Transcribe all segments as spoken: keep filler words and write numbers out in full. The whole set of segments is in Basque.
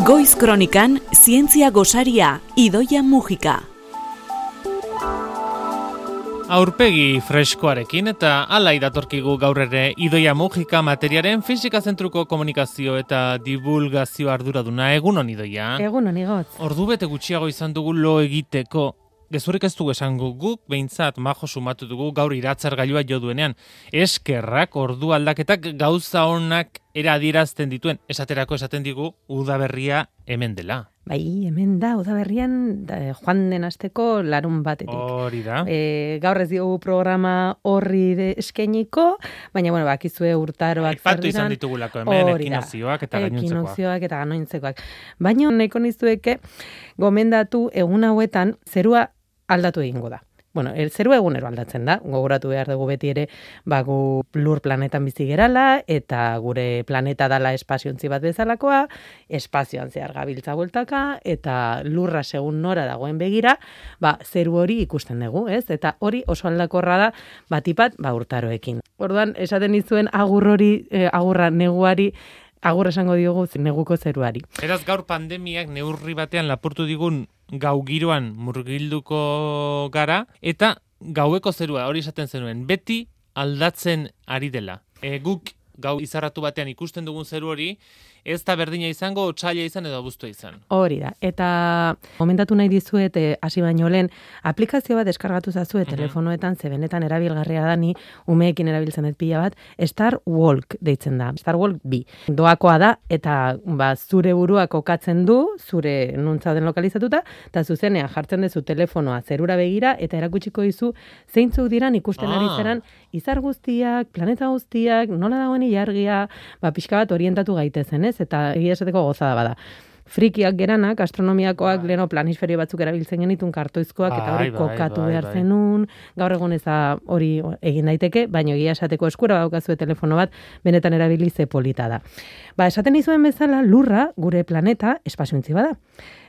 Goiz Kronikan, zientzia gosaria, Idoia Mujika. Aurpegi freskoarekin eta alai datorkigu gaur ere Idoia Mujika materiaren fisika zentruko komunikazio eta divulgazio arduraduna. Egunon, Idoia. Egunon, Igotz. Ordu bete gutxiago izan dugu lo egiteko. Gezurrik ez dugu esango guk, behintzat majo sumatu dugu gaur iratzargailua jo duenean. Eskerrak ordu aldaketak gauza honak eradierazten dituen. Esaterako esaten digu udaberria hemen dela. Bai, hemen da, udaberrian da, joan den asteko larun batetik. Hori da. E, gaur ez diogu programa horri de eskainiko, baina, bueno, bakizue urtaroak zer Aipatu izan ditugulako hemen, ekinozioak eta gainontzekoak. Ekinozioak eta gainontzekoak. Baina, nahiko nizueke, gomendatu egun hauetan zerua aldatu egingo da. Bueno, el zerua egunero aldatzen da, gogoratu behar dugu beti ere, ba, gu lur planetan bizi gerala, eta gure planeta dala espaziontzi bat bezalakoa, espazioan zehar gabiltza bueltaka, eta lurra segun nora dagoen begira, ba, zeru hori ikusten dugu, ez? Eta hori oso aldakorra da, batipat, ba, urtaroekin. Orduan, esaten dizuen agur hori, eh, agurra neguari, agur esango diogu neguko zeruari. Beraz, gaur pandemiak neurri batean lapurtu digun gau giroan murgilduko gara, eta gaueko zerua, hori esaten zenuen, beti aldatzen ari dela. E, guk gau izarratu batean ikusten dugun zeru hori, ez da berdina izango, otsaila izan edo abuztua izan. Hori da. Eta momentatu nahi dizuet, hasi baino lehen, aplikazio bat deskargatu zazue Mhm. telefonoetan, ze benetan erabilgarria da ni, umeekin erabiltzen dut pila bat, Star Walk deitzen da. Star Walk bi. Doakoa da, eta ba, zure burua kokatzen du, zure nuntzauden lokalizatuta, eta zuzenean jartzen duzu telefonoa zerura begira, eta erakutsiko dizu zeintzuk diran ikusten ari Ah. zeran, izar guztiak, planeta guztiak, nola dagoen ilargia, ba, pixka bat orientatu gaitezen, ez? Eta egia esateko gozada bada. Frikiak geranak, astronomiakoak, Bai. leno planisferio batzuk erabiltzen genitun kartoizkoak, eta hori Bai, bai, kokatu bai, behar bai. zenun, gaur egun ez da hori egin daiteke, baina egia esateko eskura daukazue telefono bat, benetan erabili ze polita da. Ba, esaten izuen bezala, lurra, gure planeta, espaziontzi bada.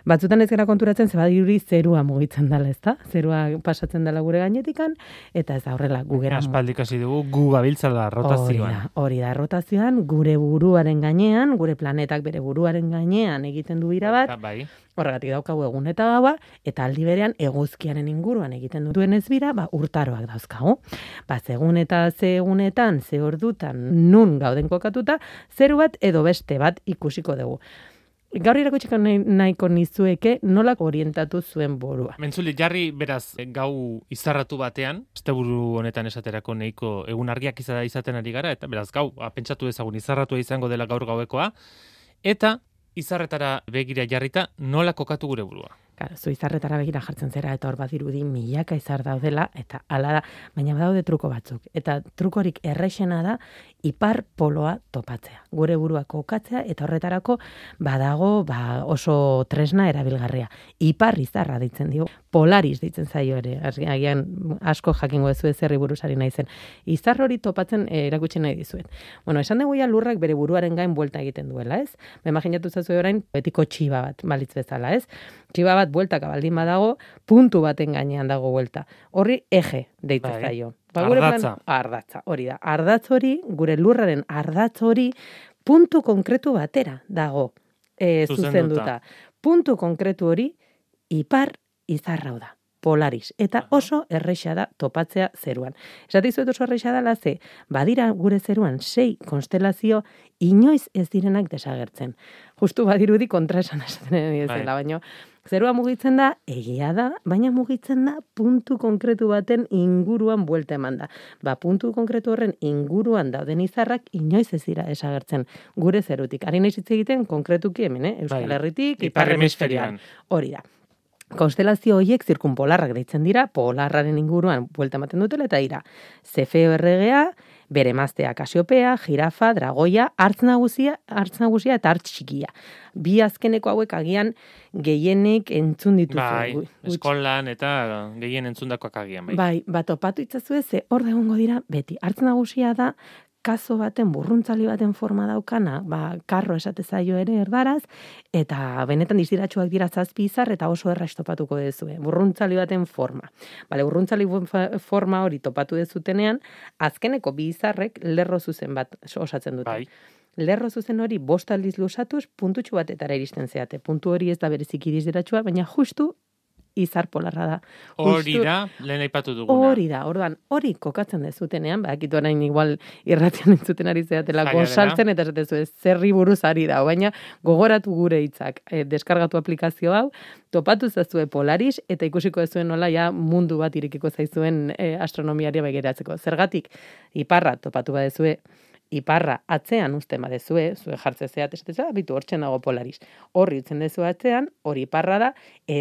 Batzutan ez gara konturatzen, ze badirudi zerua mugitzen dela, ezta? Zerua pasatzen dela gure gainetikan, eta ez da horrela gugera. Aspaldik hasi dugu gu gabiltzala rotazioan. Hori da, hori da, rotazioan, gure buruaren gainean, gure planetak bere buruaren gainean egiten du bira bat, Bai. horregatik daukagu egun eta gaua, eta aldi berean eguzkiaren inguruan egiten duen ez bira, ba, urtaroak dauzkagu. Ba, zegun eta ze egunetan, ze ordutan, nun gauden kokatuta, zeru bat edo beste bat ikusiko dugu. Gaur irakutsiko nahiko nizueke nolak orientatu zuen burua. Mentzuli, jarri beraz gau izarratu batean, asteburu honetan esaterako nahiko egun argiak izada izaten ari gara, eta beraz gau, pentsatu ezagun izarratua izango dela gaur gauekoa, eta izarretara begira jarrita nola kokatu gure burua. Claro, zu izarretara begira jartzen zera, eta hor badirudi milaka izar daudela, eta hala da, baina badaude truko batzuk. Eta trukorik errexena da, ipar poloa topatzea. Gure burua kokatzea, eta horretarako badago ba, oso tresna erabilgarria. Ipar izarra deitzen dio, Polaris deitzen zaio ere, agian asko jakingo ez zerri buruzari naizen. Izar hori topatzen eh, erakutsi nahi dizuet. Bueno, esan dugu ja lurrak bere buruaren gain buelta egiten duela, ez? Ba, imaginatu zazu orain betiko txiba bat, balitz bezala, ez? Txiba bat bueltaka baldin badago, puntu baten gainean dago buelta. Horri eje deitzen Bai. zaio. Ba, gure Ardatza. Plan, ardatza, hori da. Ardatz hori, gure lurraren ardatz hori, puntu konkretu batera dago e, Zuzenduta. zuzenduta. Puntu konkretu hori, ipar izarrau da. Polaris. Eta oso erreixa da topatzea zeruan. Esate izuet oso erreixa dela ze, badira gure zeruan sei konstelazio inoiz ez direnak desagertzen. Justu badirudi kontraesan esaten ari ezela, Bai. baina zerua mugitzen da, egia da, baina mugitzen da puntu konkretu baten inguruan buelta eman da. Ba, puntu konkretu horren inguruan dauden izarrak inoiz ez dira desagertzen gure zerutik. Ari nahi hitz egiten konkretuki hemen, eh? Euskal Bai. Herritik, Ipar ipar hemisferioan. hemisferioan. Hori da. Konstelazio horiek zirkunpolarrak deitzen dira, polarraren inguruan buelta ematen dutela, eta dira, Zefeo erregea, bere emaztea Kasiopea, Jirafa, Dragoia, hartz nagusia, hartz nagusia eta hartz txikia. Bi azkeneko hauek agian gehienek entzun dituzu. Bai, Gu- gutxi. eskolan eta gehien entzundakoak agian, bai. Bai, bat topatu itzazue, ze hor da egongo dira beti. Hartz nagusia da kazo baten, burruntzali baten forma daukana, ba, karro esate zaio ere erdaraz, eta benetan diziratxoak dira zazpi izar, eta oso erraz topatuko dezue. Burruntzali baten forma. Bale, burruntzali forma hori topatu dezutenean, azkeneko bi izarrek lerro zuzen bat osatzen dute. Bai. lerro zuzen hori bost aldiz luzatuz, puntutxu batetara iristen zeate. Puntu hori ez da bereziki dizdiratsua, baina justu izar polarra da. Hori Justu- da, lehen aipatu duguna. Hori da, orduan, hori kokatzen dezutenean, bakitu orain igual irratian entzuten ari zeatela, Zaila dela. gozaltzen eta esatezu ez zerri buruz ari da, baina gogoratu gure hitzak, e, deskargatu aplikazio hau, topatu zazue Polaris, eta ikusiko zuen nola ja mundu bat irekiko zaizuen e, astronomiaria begiratzeko. Zergatik, iparra topatu badezue, iparra atzean uzten badezue, zue jartze zeat, esatez, bitu hortzen dago Polaris. Horri utzen dezu atzean, hori iparra da,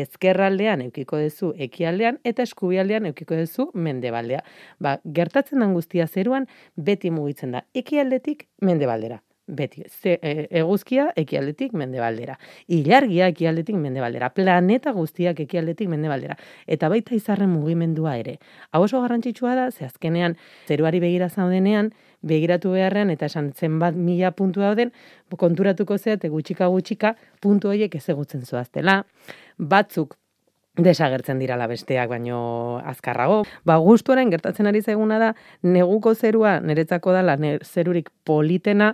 ezkerraldean eukiko dezu ekialdean, eta eskubialdean eukiko dezu mendebaldea. Ba, gertatzen den guztia zeruan, beti mugitzen da, ekialdetik mendebaldera. Beti, ze, e, eguzkia ekialdetik mendebaldera. Ilargia ekialdetik mendebaldera. Planeta guztiak ekialdetik mendebaldera. Eta baita izarren mugimendua ere. Hau oso garrantzitsua da, ze azkenean zeruari begira zaudenean, begiratu beharrean, eta esan zenbat mila puntu dauden, konturatuko zeate gutxika gutxika puntu horiek ezagutzen zoaztela. Batzuk desagertzen dirala besteak, baino azkarrago. Ba, gustuaren gertatzen ari zaiguna da, neguko zerua, niretzako dala, ne, zerurik politena,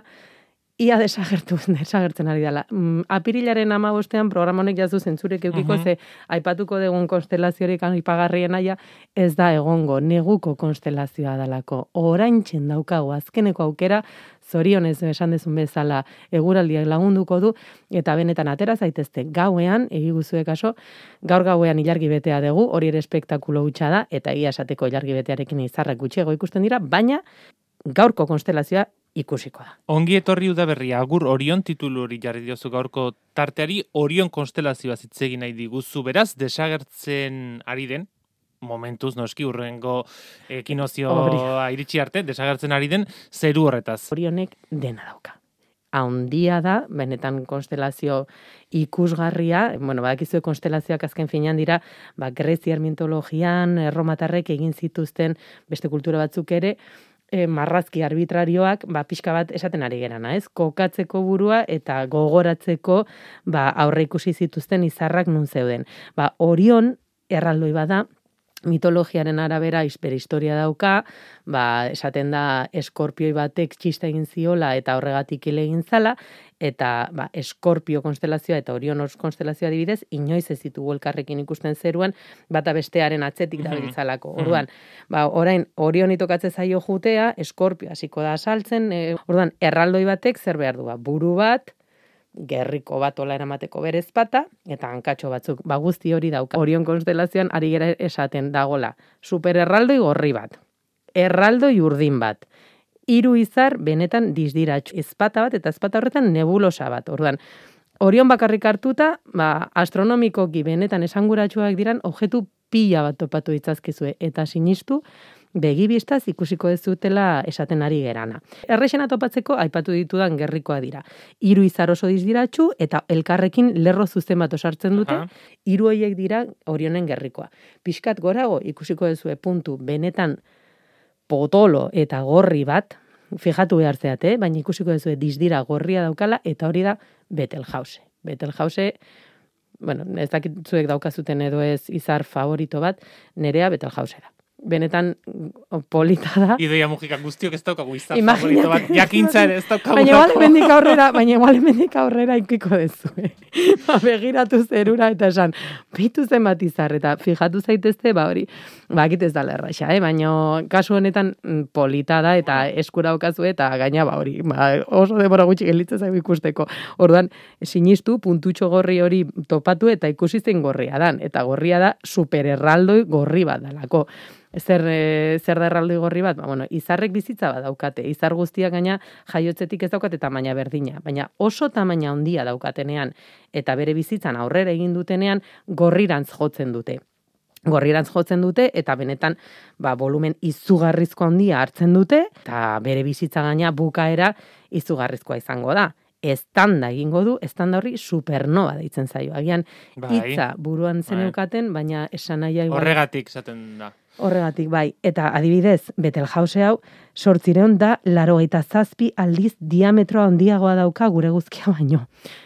ia desagertu, desagertzen ari dela. Mm, apirilaren hamabostean programa honek jazu zentzurek eukiko, Mhm. ze aipatuko dugun konstelaziorik aipagarrien aia, ez da egongo, neguko konstelazioa dalako. Oraintzen daukagu azkeneko aukera, zorionez esan dezun bezala eguraldiak lagunduko du, eta benetan atera zaitezte gauean, egiguzue kaso, gaur gauean ilargi betea dugu, hori ere espektakulo hutsa da, eta egia esateko ilargi betearekin izarrak gutxiago ikusten dira, baina gaurko konstelazioa ikusiko da. Ongi etorri udaberria, agur Orion titulu hori jarri diozu gaurko tarteari, Orion konstelazioa zitzegin nahi diguzu, beraz, desagertzen ari den, momentuz noski urrengo ekinozioa iritsi arte, desagertzen ari den zeru horretaz. Orionek dena dauka. Haundia da, benetan konstelazio ikusgarria, bueno, badakizue konstelazioak azken finean dira, ba, greziar mitologian, erromatarrek egin zituzten beste kultura batzuk ere, e, marrazki arbitrarioak, ba, pixka bat esaten ari gerana, ez? Kokatzeko burua eta gogoratzeko, ba, aurre ikusi zituzten izarrak nun zeuden. Ba, Orion erraldoi bada, mitologiaren arabera historia dauka, ba, esaten da eskorpioi batek txista egin ziola eta horregatik hil egin zala, eta ba, eskorpio konstelazioa eta Orion konstelazioa adibidez, inoiz ez ditugu elkarrekin ikusten zeruan, bata bestearen atzetik dabiltzalako. Orduan, ba, orain Orioni tokatze zaio jutea, eskorpio hasiko da saltzen, e, orduan, erraldoi batek zer behar du, ba, buru bat, gerriko bat ola eramateko berez bata, eta hankatxo batzuk, ba guzti hori dauka. Orion konstelazioan ari gera esaten dagola, super erraldoi gorri bat, erraldoi urdin bat, hiru izar benetan dizdiratxu, ezpata bat eta ezpata horretan nebulosa bat. Orduan, Orion bakarrik hartuta, ba, astronomikoki benetan esanguratsuak diran objektu pila bat topatu ditzazkezue, eta sinistu, begibistaz ikusiko ez dutela esaten ari gerana. Errexena topatzeko aipatu ditudan gerrikoa dira. Hiru izar oso dizdiratxu eta elkarrekin lerro zuzen bat osartzen dute, hiru horiek dira Orionen gerrikoa. Pixkat gorago ikusiko duzue puntu benetan potolo eta gorri bat, fijatu behar zeate, eh? Baina ikusiko duzue dizdira gorria daukala eta hori da Betelgeuse. Betelgeuse, bueno, ez dakit zuek daukazuten edo ez izar favorito bat, nerea Betelgeuse da. Benetan polita da. Idoia Mujika guztiok ez daukagu izar Imaginate. favorito bat, jakintza ere ez daukagu. Baina igual hemendik aurrera, baina igual hemendik aurrera ikiko dezu. Eh? Ba, begiratu zerura eta esan, bitu zenbat izar, eta fijatu zaitezte, ba hori, ba, ez da lerraxa, eh? Baina kasu honetan polita da, eta eskura okazu, eta gaina, ba hori, ba, oso denbora gutxi gelditzen zaigu ikusteko. Orduan, sinistu, puntutxo gorri hori topatu, eta ikusi zein gorria dan, eta gorria da supererraldoi gorri bat dalako. Zer, e, zer da erraldoi gorri bat? Ba, bueno, izarrek bizitza bat daukate. Izar guztiak gaina jaiotzetik ez daukate tamaina berdina. Baina oso tamaina handia daukatenean eta bere bizitzan aurrera egin dutenean gorrirantz jotzen dute. Gorrirantz jotzen dute eta benetan ba, volumen izugarrizko handia hartzen dute eta bere bizitza gaina bukaera izugarrizkoa izango da. Estanda egingo du, estanda horri supernova deitzen zaio. Agian Bai. hitza buruan zeneukaten, baina esan nahia igual. Horregatik esaten da. Horregatik, bai. Eta adibidez, Betelgeuse hau, sortzireun da, larogeita zazpi aldiz diametroa handiagoa dauka gure eguzkia baino.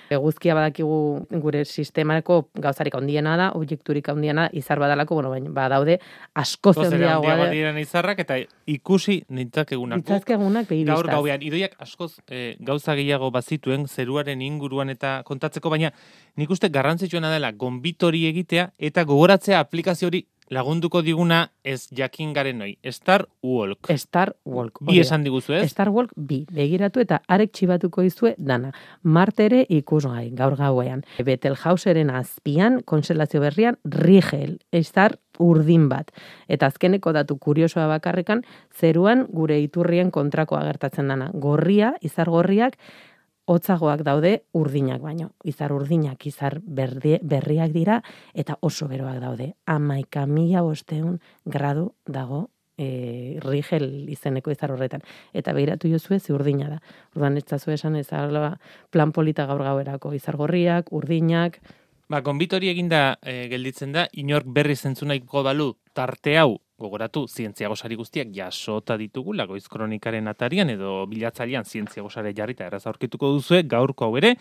Eguzkia badakigu gure sistemako gauzarik handiena da, objekturik handiena izar badalako, bueno, baina badaude askoz handiagoa da. Diren izarrak eta ikusi nintzakegunak. Nintzakegunak begiristaz. Gaur gauean, idoiak askoz e, gauza gehiago bazituen zeruaren inguruan eta kontatzeko, baina nik uste garrantzitsuena dela gonbitori egitea eta gogoratzea aplikazio hori lagunduko diguna ez jakin garen noi. Star Walk. Star Walk. Bi esan diguzu, ez? Star Walk bi. Begiratu eta arek txibatuko izue dana. Martere ikusgai gaur gauean. Betelgeuseren azpian, konselazio berrian, Rigel. Star urdin bat. Eta azkeneko datu kuriosoa bakarrekan, zeruan gure iturrien kontrakoa gertatzen dana. Gorria, izar gorriak, hotzagoak daude urdinak baino. Izar urdinak, izar berdi, berriak dira, eta oso beroak daude. Hamaika mila bosteun gradu dago e, Rigel izeneko izar horretan. Eta behiratu jozue ze urdina da. Orduan ez zazu esan ez plan polita gaur gauerako. Izar gorriak, urdinak. Ba, gonbitori eginda e, gelditzen da, inork berri zentzunaiko balu tarte hau, gogoratu, zientzia gosari guztiak jasota ditugula, Goiz Kronikaren atarian edo bilatzailean zientzia gosare jarrita erraz aurkituko duzue, gaurko hau ere,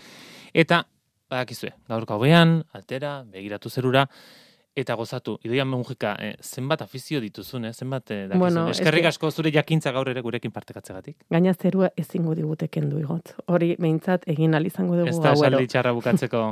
eta, badakizue, gaurko hauean, altera, begiratu zerura, eta gozatu. Idoia Mujika, eh, zenbat afizio dituzun, eh? zenbat eh, dakizun. Bueno, eskerrik asko zure jakintza gaur ere gurekin partekatzegatik. Gaina zerua ezingo digute kendu igot. Hori behintzat egin ahal izango dugu ez da gauero. esaldi txarra bukatzeko.